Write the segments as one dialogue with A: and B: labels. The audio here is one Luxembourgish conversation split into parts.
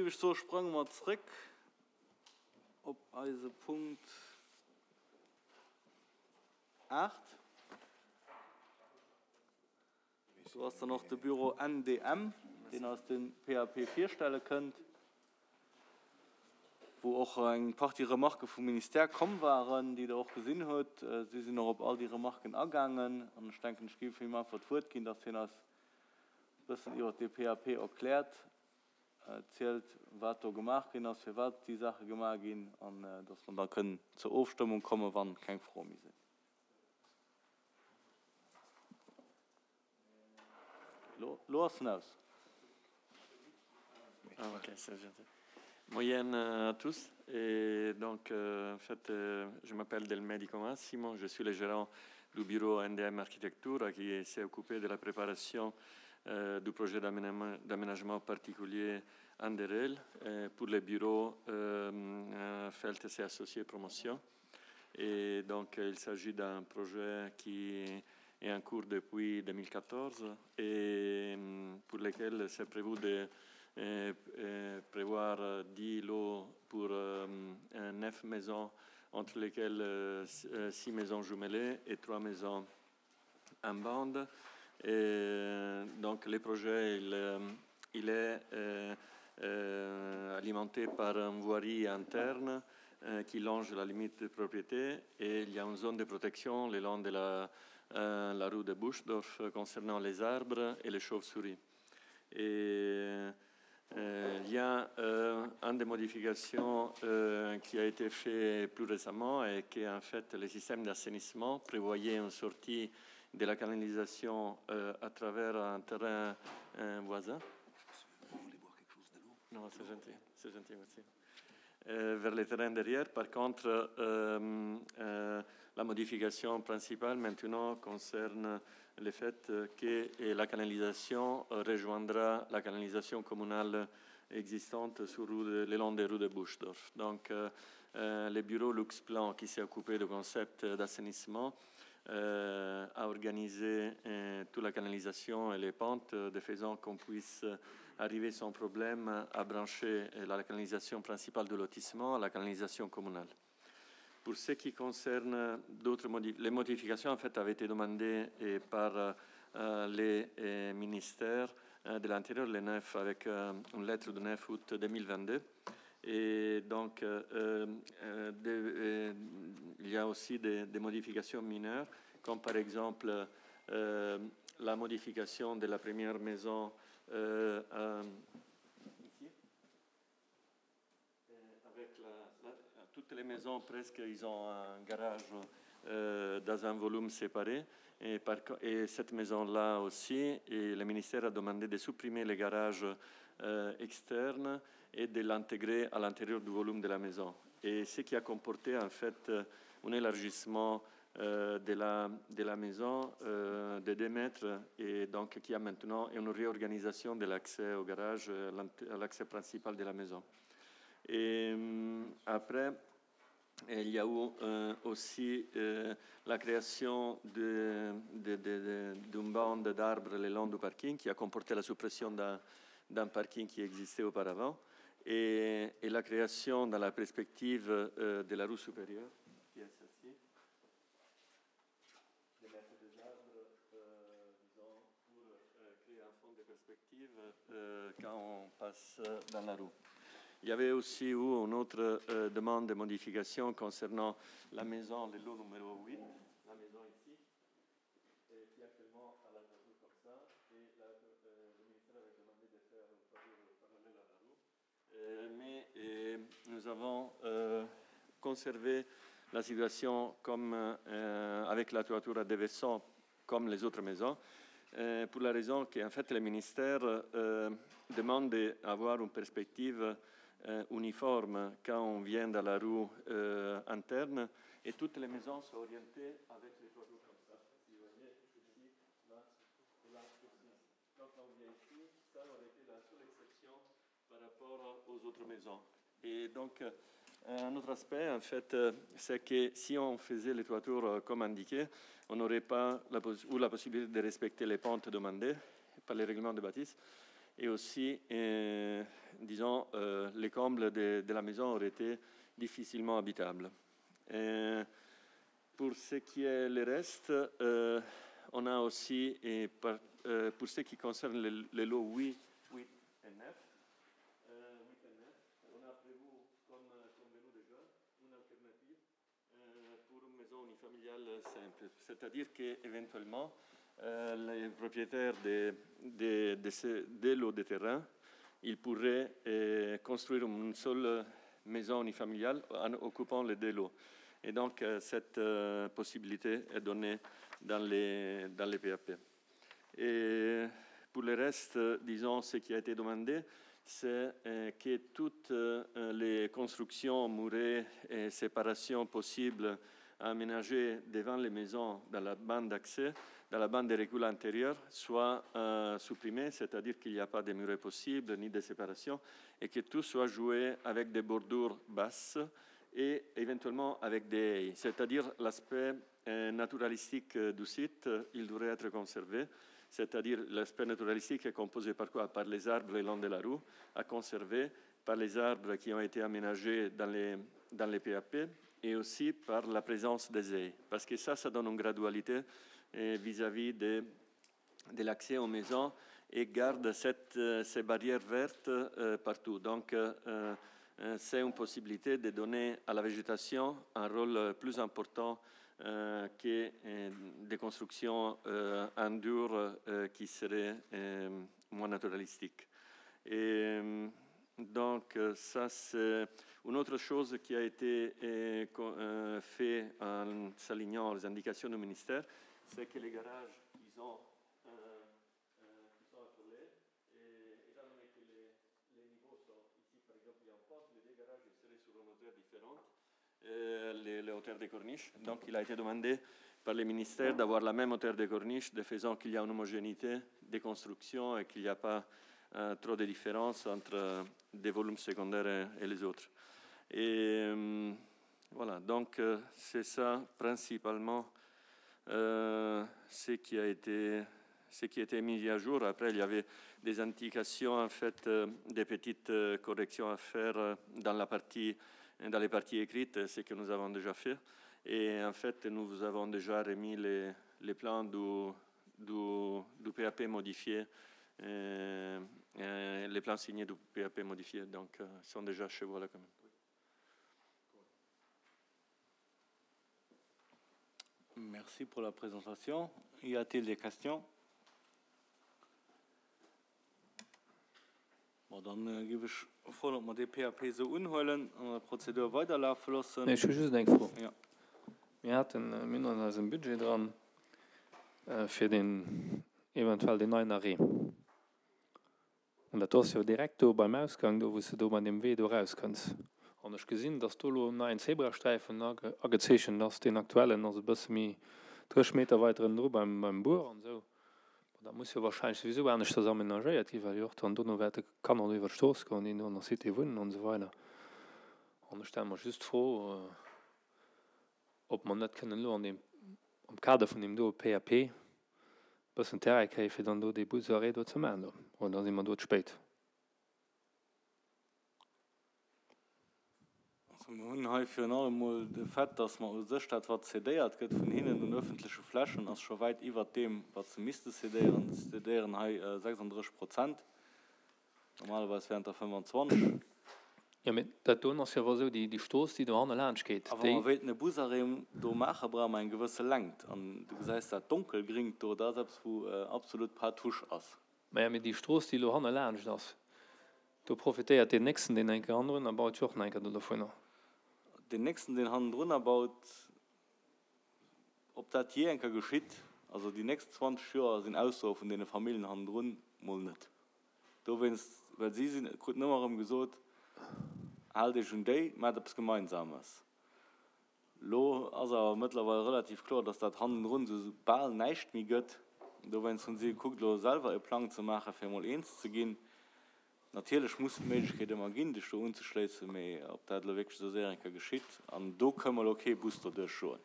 A: géif ech soe sprange mer zréck op eise Punkt 8. Do ass dann och de Büro NDM, deen eis de PAP virstelle kënnt, wou och eng Partie Remarquë vum Ministère komm waren, déi Der och gesinn hutt. Si sinn och op all déi Remarquen agaangen an ech denken, ech géif him einfach d'Wuert ginn, dass hien eis e bëssen iwwert dee PAP erkläert, zielt, wat do gemaach ginn ass, firwat déi Saache gemaach ginn an dass mer da kënnen zur Ofstëmmung kommen, wa keng Froe méi sinn. Lo ass en aus.
B: Ah, ok, c'est gentil. Moyenne à tous. Et donc, euh, en fait, euh, je m'appelle Del Medico Massimo, je suis le gérant du bureau NDM Architecture qui s'est occupé de la préparation euh, du projet d'aménagement particulier Anderel euh, pour les bureaux euh, euh Feltes et Associés Promotion. Et donc, il s'agit d'un projet qui est en cours depuis 2014 et mm, pour lequel c'est prévu de euh, euh, prévoir 10 lots pour euh, 9 maisons, entre lesquelles 6 maisons jumelées et 3 maisons en bande. Et donc le projet, il, il est euh, alimenté par une voirie interne euh, qui longe la limite de propriété et il y a une zone de protection le long de la, euh, la rue de Buschdorf concernant les arbres et les chauves-souris. Et euh, il y a euh, une des modifications euh, qui a été fait plus récemment et qui en fait le système d'assainissement prévoyait une sortie de la canalisation euh, à travers un terrain euh, voisin.
C: Vous voulez boire quelque chose de l'eau
B: Non, c'est gentil, c'est gentil, merci. Euh, vers les terrains derrière. Par contre, euh, euh, la modification principale maintenant concerne le fait que la canalisation rejoindra la canalisation communale existante sur rue de, le long des rues de Buschdorf. Donc, euh, euh, le bureau Luxplan qui s'est occupé du concept d'assainissement euh, a organisé euh, toute la canalisation et les pentes de faisant qu'on puisse arriver sans problème à brancher la canalisation principale du lotissement à la canalisation communale. Pour ce qui concerne d'autres modi les modifications en fait avaient été demandées et par euh, les euh, ministères euh, de l'Intérieur, les 9, avec euh, une lettre du 9 août 2022. Et donc, euh, euh, de, euh, il y a aussi des, des modifications mineures, comme par exemple euh, la modification de la première maison euh, euh, ici. Avec la, la, toutes les maisons, presque, ils ont un garage euh, dans un volume séparé. Et, par, et cette maison-là aussi, et le ministère a demandé de supprimer les garages euh, externes et de l'intégrer à l'intérieur du volume de la maison. Et ce qui a comporté en fait un élargissement euh, de, la, de la maison euh, de 2 mètres et donc qui a maintenant une réorganisation de l'accès au garage, à l'accès principal de la maison. Et après, il y a eu euh, aussi euh, la création d'une de, de, de, bande d'arbres le long du parking qui a comporté la suppression d'un parking qui existait auparavant et, et la création dans la perspective euh, de la rue supérieure, qui est celle-ci, de mettre des arbres, euh, disons, pour euh, créer un fond de perspective euh, quand on passe dans la rue. Il y avait aussi eu une autre euh, demande de modification concernant la maison, le lot numéro 8, la maison ici, et qui actuellement a la rue comme ça, et la, euh, le ministère avait demandé de faire une toiture parallèle à la rue. Euh, mais euh, nous avons euh, conservé la situation comme, euh, avec la toiture à déversant comme les autres maisons, euh, pour la raison qu'en fait le ministère euh, demande d'avoir une perspective euh, uniforme quand on vient dans la rue euh, interne et toutes les maisons sont orientées avec les toitures comme ça. Si vous voyez, ici, là, et là aussi. Donc on vient ici, ça aurait été la seule exception par rapport aux autres maisons. Et donc, euh, un autre aspect, en fait, euh, c'est que si on faisait les toitures euh, comme indiqué, on n'aurait pas la, ou la possibilité de respecter les pentes demandées par les règlements de bâtisse. Et aussi, disons, les combles de, de la maison auraient été difficilement habitables. Et pour ce qui est le reste, euh, on a aussi, et par, euh, pour ce qui concerne les, les lots 8, 8 et 9, euh, 8 et 9, on a prévu, comme convenu déjà, une alternative euh, pour une maison unifamiliale simple. C'est-à-dire qu'éventuellement, euh, les propriétaires des de, de ces, des lots de terrain, ils pourraient euh, construire une seule maison unifamiliale en occupant les deux lots. Et donc, euh, cette euh, possibilité est donnée dans les, dans les PAP. Et pour le reste, disons, ce qui a été demandé, c'est euh, que toutes euh, les constructions, murets et séparations possibles aménagées devant les maisons dans la bande d'accès, dans la bande de recul antérieure, soient euh, supprimées, c'est-à-dire qu'il n'y a pas de murets possibles ni de séparation, et que tout soit joué avec des bordures basses et éventuellement avec des haies, c'est-à-dire l'aspect euh, naturalistique euh, du site, euh, il devrait être conservé, c'est-à-dire l'aspect naturalistique est composé par quoi Par les arbres le long de la roue, à conserver, par les arbres qui ont été aménagés dans les, dans les PAP et aussi par la présence des haies, parce que ça, ça donne une gradualité vis-à-vis -vis de, de l'accès aux maisons et garde cette, ces barrières vertes partout. Donc, euh, c'est une possibilité de donner à la végétation un rôle plus important euh, que euh, des constructions euh, en dur euh, qui seraient euh, moins naturalistiques. Et donc, ça, c'est une autre chose qui a été euh, euh, faite en s'alignant aux indications du ministère, c'est que les garages, ils ont, euh, euh, qui sont accolés, et étant donné que les, les niveaux sont ici, par exemple, il y a une pente, les deux garages seraient sur une hauteur différente, euh, les, les hauteurs des corniches. Donc, il a été demandé par les ministères d'avoir la même hauteur des corniches, de faisant qu'il y a une homogénéité des constructions et qu'il n'y a pas euh, trop de différences entre euh, des volumes secondaires et, et les autres. Et euh, voilà, donc euh, c'est ça principalement euh, ce qui a été ce qui a été mis à jour. Après, il y avait des indications, en fait, euh, des petites euh, corrections à faire euh, dans la partie, dans les parties écrites, ce que nous avons déjà fait. Et en fait, nous vous avons déjà remis les, les plans du, du, du PAP modifié, euh, euh, les plans signés du PAP modifié, donc euh, ils sont déjà chez vous à la commune.
A: Merci pour la présentation. Y a-t-il des questions Bon, dann äh, géif ech froen, ob mer dee PAP esou unhuelen an der Prozedur weiderlafe loossen.
D: Ech hu just eng Fro.
A: Ja.
D: Mir haten, mir hunn an eisem Budget dran, fir deen, eventuell deen neien Arrêt. An dat do ass jo direkt do beim Ausgang, do wou s de do bei deem Wee do erauskënns. An ech gesinn, dass do elo en neien Zebrasträifen agezeechent ass. Deen aktuellen ass e bësse méi 30 Meter weiter ënnendru beim, beim Buer an esou. Bon, dat muss jo wahrscheinlech souwisou aneschters amenagéiert ginn, well jo och dann dono wäerte Kanner do iwwer d'Strooss goen, déi do an der Cité wunnen an esou weider. An ech stelle mer just d'Fro, ob mer net kënnen elo an deem, am Kader vun deem do PAP e bëssen Terrain kréien, fir dann do dee Busarrêt do ze maachen do. Oder si mer do ze spéit?
A: Also mir hunn hei virun allem emol de Fait, dass mer u sech dat, wat cédéiert gëtt vun hinnen un öffentleche Flächen, ass scho wäit iwwert deem, wat se misste cédéieren. Se cédéieren hei 36 Prozent, normalerweis wären et der 25.
D: Jo, mee dat doen ass jo awer esou, déi Strooss, déi dohanne laanscht geet,
A: A wa mer wéilten e Busarrêt do maachen, brauche mer eng gewësse Längt. An du gesäis dat donkelgringt do, dat ass eppes, wou absolut pas touche ass.
D: Maja, mee déi Strooss, déi elo hanne laanscht ass, do profitéiert deen Nächsten, deen eng Kéier hannendrunner baut, jo och nach eng Kéier do dovunner.
A: Deen Nächsten, deen hannendrunner baut, ob dat jee eng Kéier geschitt, also déi nächst 20 Joer sinn Aussoe vun deene Familljen hannendrun mol net. Dowéinst, well si sinn, kruten ëmmer erëm gesot, Haalt Iech un déi, maacht eppes Gemeinsames. Lo ass awer mëttlerweil relativ kloer, dass dat hannendrun esou bal näischt méi gëtt. Dowéinst hunn si gekuckt, elo selwer e Plang ze maachen, fir emol eens ze ginn. Natierlech muss et d'Méiglechkeet ëmmer ginn, dech do unzeschléissen, mee ob dat elo wierklech esou séier eng Kéier geschitt, an do kënn mer elo kee Bus doduerch joen,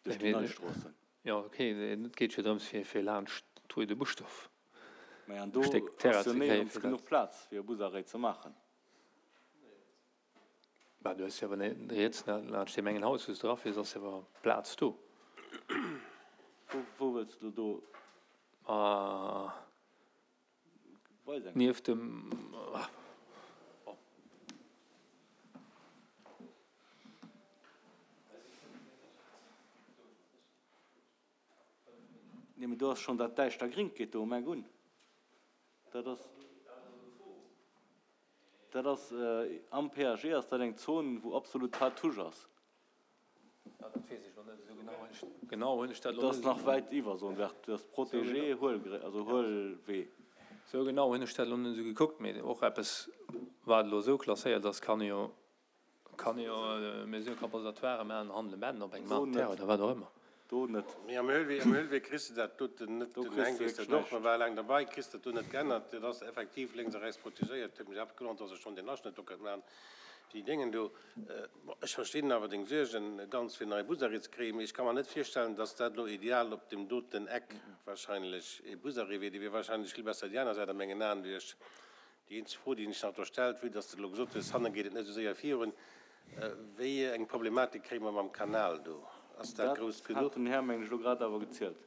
A: duerch déi nei Stroossen.
D: Jo, ok, et geet jo drëms, fir laanscht d'Rue de Buschdorf.
A: Mä an do
D: Stéck Terrain
A: ass jo
D: ze kréien,
A: néierens
D: fir dat.
A: genuch Plaz, fir e Busarrêt ze maachen.
D: Bah, du hues jo awer riets laanscht deem engen Haus, wou s de erafiers, ass jo awer Plaz do.
A: Wou, wou wëlls de do?
D: Ah,
A: Weis eng.
D: nieft dem, ah, bon.
A: Nee, mee do ass schonn dat däischter Gringt geet do um Eck un. Dat ass, dat ass am PAG ass dat eng Zon, wou absolut pas touche ass.
D: Ja, dat weess ech elo net esou genau. Genau hunn ech dat elo
A: Dat
D: net
A: ass nach wäit iwwer Zone verte, dat ass protégé Huelgre, also Huelwee.
D: Esou genau hunn ech dat elo net esou gekuckt, mee och eppes, wat elo esou klasséiert ass, kann jo Kann ee jo Mesure compensatoire maachen, handele men op engem
A: Do
D: aneren Terrain
A: net.
D: oder wat och ëmmer.
A: Do net.
E: Mee am Höhlwee, am Höhlwee kriss de dat doten net,
A: Do
E: den
A: kriss
E: Heng
A: de
E: weess dat
A: wierklech
E: och, mer
A: näischt.
E: war laang derbei, kriss dat do net geännert. Dat ass effektiv lénks a rechts protegéiert. Huet mech awer gewonnert, dass ech schonn deen Aschnëtt do kënnt maachen, déi Déngen do. Bon, ech verstinn awer deng Suergen ganz, fir en neie Busarrêt ze kréien, mee ech ka mer net virstellen, dass dat elo ideal op deem doten Eck wahrscheinlech ee Busarrêt wier. Dee wier wahrscheinlech vill besser déi aner Säit a mengen Aen duerch Déi eenzeg Fro, déi sech nach do stellt, vue dass de elo gesot hues, hanne geet et net esou séier virun, Wéi eng Problematik kréie mer mam Kanal do? Ass dat
A: Dat
E: grouss
A: hat
E: genuch?
A: den Här, mengen ech, elo grad awer gezielt.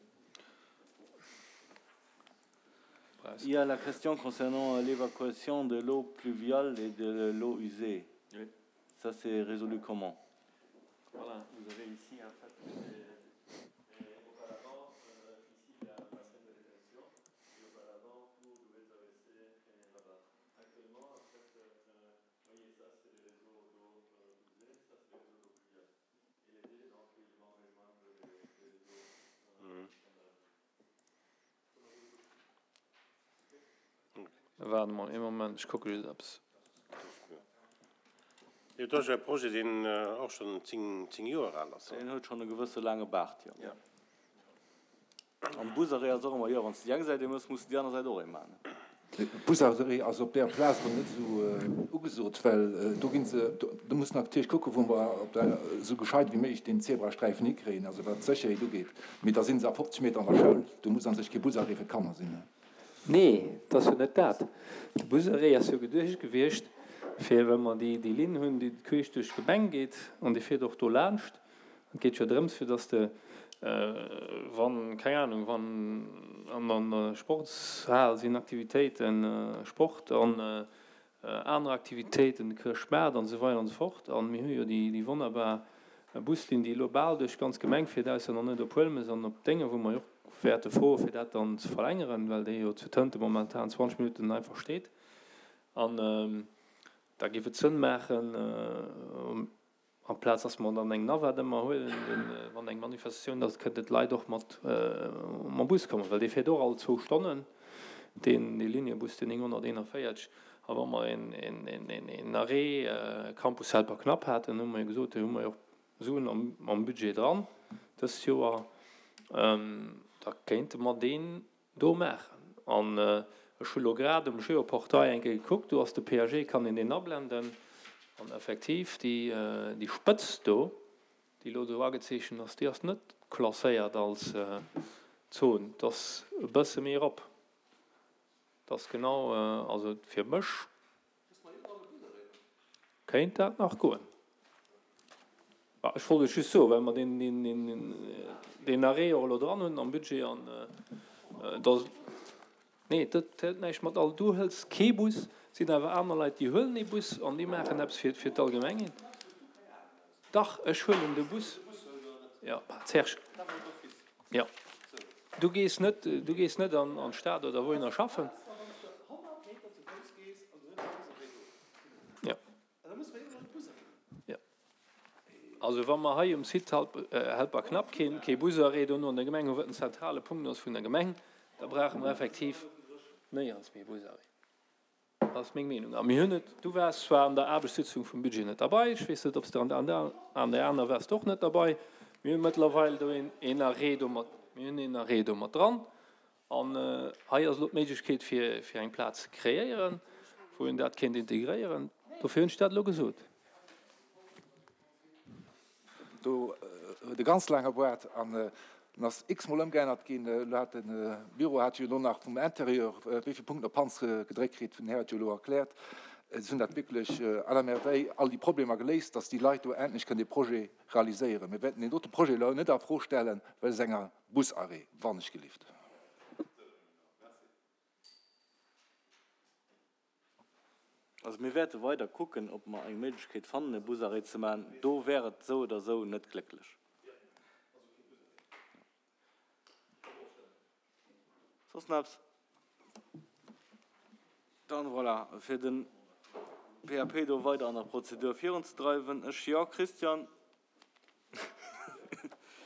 A: Il y a la question concernant l'évacuation de l'eau pluviale et de l'eau usée.
B: Oui.
A: Ça s'est résolu comment?
B: Voilà, vous avez ici en fait auparavant ici il y a un bassin de rétention et auparavant tout devait traverser là-bas. Actuellement, en fait, voyez, ça c'est les réseaux d'eau usée, ça c'est les réseaux d'eau pluviale. Et les deux, donc, ils vont rejoindre les, les réseaux euh, standards.
D: Waart emol ee Moment, ech kucke just eppes.
E: Jo, dat ass jo e Projet, deen och schonn 10 Joer al ass.
A: Deen huet schonn e gewësse laange Baart, jo. An Busarrêt ass och ëmmer, jo, wann s de déi eng Säit ee mëss, muss de déi aner Säit och ee maachen.
C: Busarrêt ass op där Plaz erëm net esou ugesot, well do gi se, do muss natierlech kucken, wou mer op der, esou gescheit wéi méiglech deen Zebrasträifen hikréien, also wat d'Sécherheet ugeet. Mee da si se a 50 Meter an der Schoul, do muss a sech kee Busarrêt fir d'Kanner sinn.
D: Nee, et ass jo net dat. De Busarrêt ass jo geduecht gewiescht, fir wa mer déi Linn hunn, déi queesch duerch d'Gemeng geet, an déi fiert och do laanscht, Et geet jo drëms, fir dass de, wann, keng Ahnung, wann an der Sportshal sinn Aktivitéiten, Sport an aner Aktivitéiten, de Chrëschtmaart an esou weider an esou fort. A mir hu jo déi wonnerbar Buslinn, déi elo bal duerch d'ganz Gemeng fiert, ausser nach net op Huelmes an op Dénge, wou mer jo och wäerte froe fir dat dann ze verlängeren, well déi jo zu Tënte momentan 20 Minutten einfach steet. An da géif et Sënn maachen, Amplaz dass mer dann eng Navette ëmmer huelen, wann eng Manifestatioun ass, kënnten d'Leit och mat mam Bus kommen, well dee fiert och all zwou Stonnen, deen dee Liniebus, deen 941. A wa mer een Arrêt Campus Helperknapp haten, hu mer jo gesot, do hu mer jo och Suen am Budget dran dëst Joer, da kéinte mer deen do maachen. An ech hu lo grad um Geoportail eng Kéier gekuckt, do ass de PAG, kann een deen ablenden. An effektiv, déi Spëtz do, déi elo do agezeechent ass, déi ass net klasséiert als Zon. Dat ass e bësse méi erop. Dat ass genau, also fir mech Kéint dat nach goen? Ech wollt et just soen, well mer deen Arrêt och elo dran hunn am Budget an da, nee, dat huet näischt mat all, du hëls kee Bus, et sinn awer aner Leit, déi huelen ee Bus an déi maachen eppes fir d'Allgemengheet. Dach, ech huelen de Bus. Jo, Serge, jo, du gees net, du gees net an d'Stad oder wouhinner schaffen. Jo. Jo. Also wa mer hei um Site Helperknapp keen, kee Busarrêt dono an der Gemeng hunn, wat en zentrale Punkt ass vun der Gemeng, da brauche mer effektiv néierens méi e Busarrêt. Dat ass meng Meenung. A mir hunn et, du waars zwar an der Aarbechtssitzung vum Budget net derbei, ech weess net, ob s de an der an där aner waars de och net derbei, mir hu mëttlerweil do een een Arrêt do mat, mir hunn een Arrêt do mat dran. An hei ass elo d'Méiglechkeet fir fir eng Plaz ze kreéieren, wou een dat kéint integréieren. Dofir hunn ech dat elo gesot.
C: Do huet e ganz laange Boart an. En ass x-mol ëmgeännert ginn. Elo hat de Büro hat jo elo nach vum Intérieur wéi vill Punkten op d'Panz gedréckt kritt, den Här huet jo elo erkläert. Si hunn dat wierklech à la merveille all déi Problemer geléist, dass déi Leit do endlech kënnen dee Projet realiséieren. Mir wäerten deen dote Projet elo net a Fro stellen, wëlls enger Busarrêt, wannechgelift.
A: Also mir wäerte weider kucken, ob mer eng Méiglechkeet fannen, e Busarrêt ze maachen. Do wär et esou oder esou net glécklech. Soss nach eppes? Dann, voilà, fir de PAP do weider an der Prozedur virunzedreiwen. Ech, jo. Christian?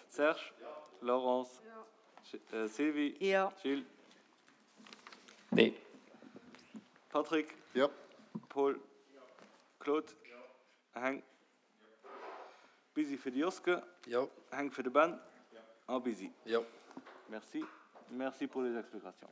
A: Serge? Laurence? Sylvie?
F: Jo.
A: Gilles?
D: Nee.
A: Patrick?
G: Jo.
A: Paul? Claude? Heng? Busy fir de Joske.
G: Jo.
A: Heng fir de Ben. A Busy.
G: Jo.
A: Merci. Merci pour les explications.